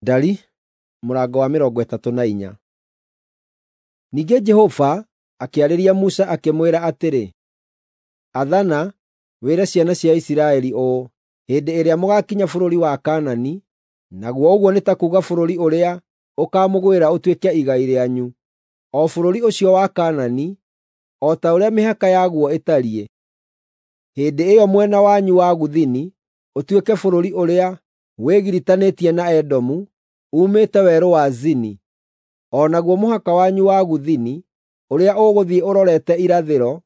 Ndari mũrango wa 34. Ningĩ Jehova akĩarĩria Musa akĩmwĩra atĩrĩ, “Athana, wĩre ciana cia Isiraeli ũũ: ‘Hĩndĩ ĩrĩa mũgaakinya bũrũri wa Kaanani, naguo ũguo nĩ ta kuuga bũrũri ũrĩa ũkaamũgwĩra ũtuĩke igai rĩanyu, o bũrũri ũcio wa Kaanani, o ta ũrĩa mĩhaka yaguo ĩtariĩ. Hĩndĩ ĩyo mwena wanyu wa gũthini ũtuĩke bũrũri ũrĩa wĩgiritanĩtie na Edomu, uumĩte Werũ wa Zini. O naguo mũhaka wanyu wa gũthini, ũrĩa ũgũthiĩ ũrorete irathĩro,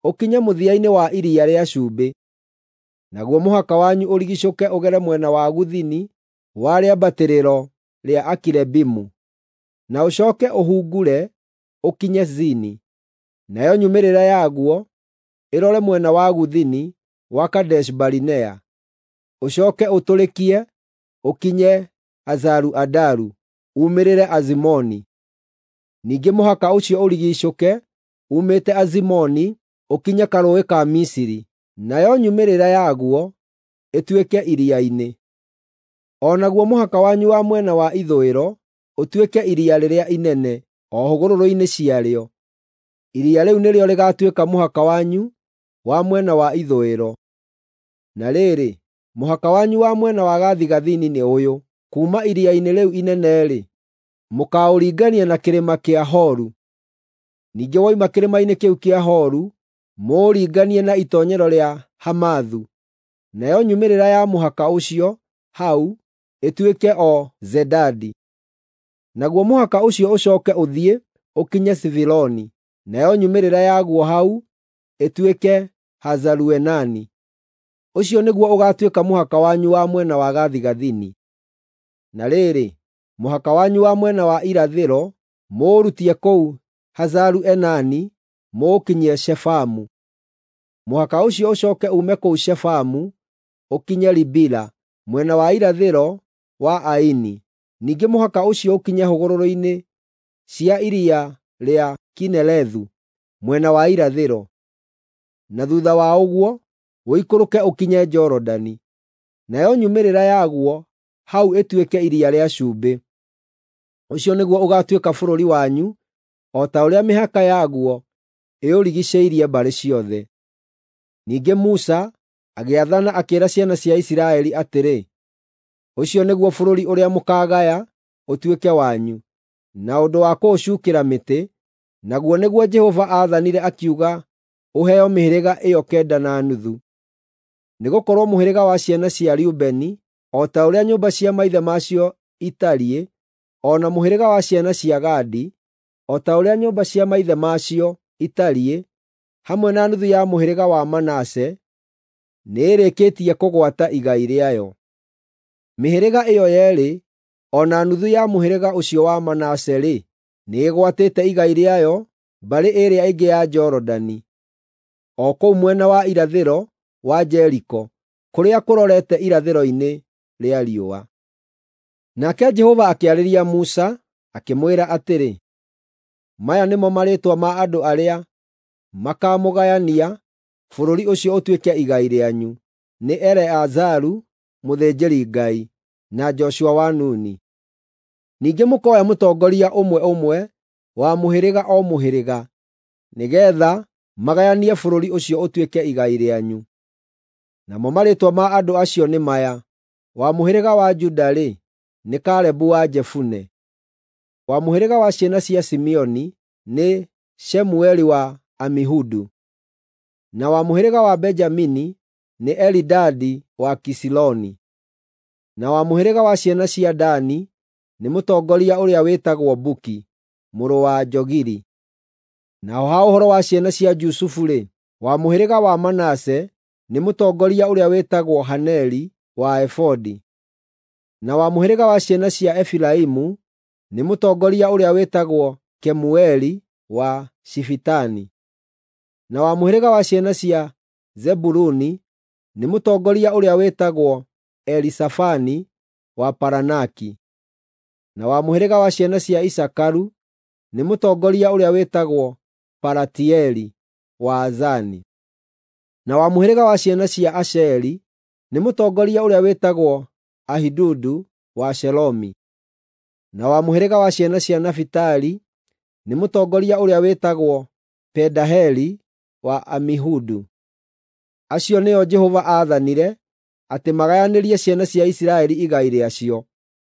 ũkinye mũthia-inĩ wa Iria rĩa Cumbĩ. Naguo mũhaka wanyu ũrigiicũke ũgere mwena wa gũthini wa rĩambatĩrĩro rĩa Akirebimu, na ũcooke ũhungure ũkinye Zini. Nayo nyumĩrĩra yaguo ĩrore mwena wa gũthini wa Kadeshi-Barinea, ũcooke ũtũrĩkie ũkinye Hazaru-Adaru, uumĩrĩre Azimoni. Ningĩ mũhaka ũcio ũrigiicũke uumĩte Azimoni ũkinye Karũũĩ ka Misiri, nayo nyumĩrĩra yaguo ĩtuĩke iria-inĩ. O naguo mũhaka wanyu wa mwena wa ithũĩro ũtuĩke Iria Rĩrĩa Inene o hũgũrũrũ-inĩ ciarĩo. Iria rĩu nĩrĩo rĩgaatuĩka mũhaka wanyu wa mwena wa ithũĩro. Na rĩrĩ, mũhaka wanyu wa mwena wa gathigathini nĩ ũyũ: kuuma iria-inĩ rĩu inene-rĩ, mũkaũringania na kĩrĩma kĩa Horu. Ningĩ woima kĩrĩma-inĩ kĩu kĩa Horu, mũũringanie na itoonyero rĩa Hamathu. Nayo nyumĩrĩra ya mũhaka ũcio hau ĩtuĩke o Zedadi. Naguo mũhaka ũcio ũcooke ũthiĩ ũkinye Sifironi, nayo nyumĩrĩra yaguo hau ĩtuĩke Hazaru-Enani. Ũcio nĩguo ũgaatuĩka mũhaka wanyu wa mwena wa gathigathini. Na rĩrĩ, mũhaka wanyu wa mwena wa irathĩro mũũrutie kũu Hazaru-Enani mũũkinyie Shefamu. Mũhaka ũcio ũcooke uume kũu Shefamu ũkinye Ribila, mwena wa irathĩro wa Aini. Ningĩ mũhaka ũcio ũkinye hũgũrũrũ-inĩ cia iria rĩa Kinerethu, mwena wa irathĩro. Na thuutha wa ũguo, ũikũrũke ũkinye Jorodani. Nayo nyumĩrĩra yaguo hau ĩtuĩke Iria rĩa Cumbĩ. Ũcio nĩguo ũgaatuĩka bũrũri wanyu, o ta ũrĩa mĩhaka yaguo ĩũrigiicĩirie mbarĩ ciothe. Ningĩ Musa agĩathana akĩĩra ciana cia Isiraeli atĩrĩ, “Ũcio nĩguo bũrũri ũrĩa mũkaagaya ũtuĩke wanyu, na ũndũ wa kũũcuukĩra mĩtĩ, naguo nĩguo Jehova aathanire akiuga ũheo mĩhĩrĩga ĩyo 9.5. Nĩgũkorwo mũhĩrĩga wa ciana cia Rubeni, o ta ũrĩa nyũmba cia maithe macio itariĩ, o na mũhĩrĩga wa ciana cia Gadi, o ta ũrĩa nyũmba cia maithe macio itariĩ, hamwe na nuthu ya mũhĩrĩga wa Manase, nĩĩrĩkĩtie kũgwata igai rĩayo. Mĩhĩrĩga ĩyo yeerĩ o na nuthu ya mũhĩrĩga ũcio wa Manase-rĩ, nĩĩgwatĩte igai rĩayo mbarĩ ĩrĩa ĩngĩ ya Jorodani, o kũu mwena wa irathĩro wa Jeriko, kũrĩa kũrorete irathĩro-inĩ rĩa riũa.” Nake Jehova akĩarĩria Musa, akĩmwĩra atĩrĩ, “Maya nĩmo marĩĩtwa ma andũ arĩa makaamũgayania bũrũri ũcio ũtuĩke igai rĩanyu: nĩ Eleazaru mũthĩnjĩri-Ngai, na Joshua wa Nuni. Ningĩ mũkoya mũtongoria ũmwe ũmwe wa mũhĩrĩga o mũhĩrĩga, nĩgeetha magayanie bũrũri ũcio ũtuĩke igai rĩanyu. Namo marĩĩtwa ma andũ acio nĩ maya: wa mũhĩrĩga wa Juda-rĩ, nĩ Kalebu wa Jefune; wa mũhĩrĩga wa ciana cia Simeoni nĩ Shemueli wa Amihudu; na wa mũhĩrĩga wa Benjamini nĩ Elidadi wa Kisiloni; na wa mũhĩrĩga wa ciana cia Dani nĩ mũtongoria ũrĩa wĩtagwo Buki mũrũ wa Jogili. Naho ha ũhoro wa ciana cia Jusufu-rĩ, wa mũhĩrĩga wa Manase nĩ mũtongoria ũrĩa wĩtagwo Haneri wa Efodi; na wa mũhĩrĩga wa ciana cia Efiraimu nĩ mũtongoria ũrĩa wĩtagwo Kemueli wa Shifitani; na wa mũhĩrĩga wa ciana cia Zebuluni nĩ mũtongoria ũrĩa wĩtagwo Elisafani wa Paranaki; na wa mũhĩrĩga wa ciana cia Isakaru nĩ mũtongoria ũrĩa wĩtagwo Palatieli wa Azani; na wa mũhĩrĩga wa ciana cia Asheri nĩ mũtongoria ũrĩa wĩtagwo Ahidudu wa Shelomi. Na wa mũhĩrĩga wa ciana cia Nafitali nĩ mũtongoria ũrĩa wĩtagwo Pedaheli wa Amihudu. Acio nĩo Jehova aathanire atĩ magayanĩrie ciana cia Isiraeli igai rĩacio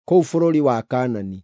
kũu bũrũri wa Kaanani.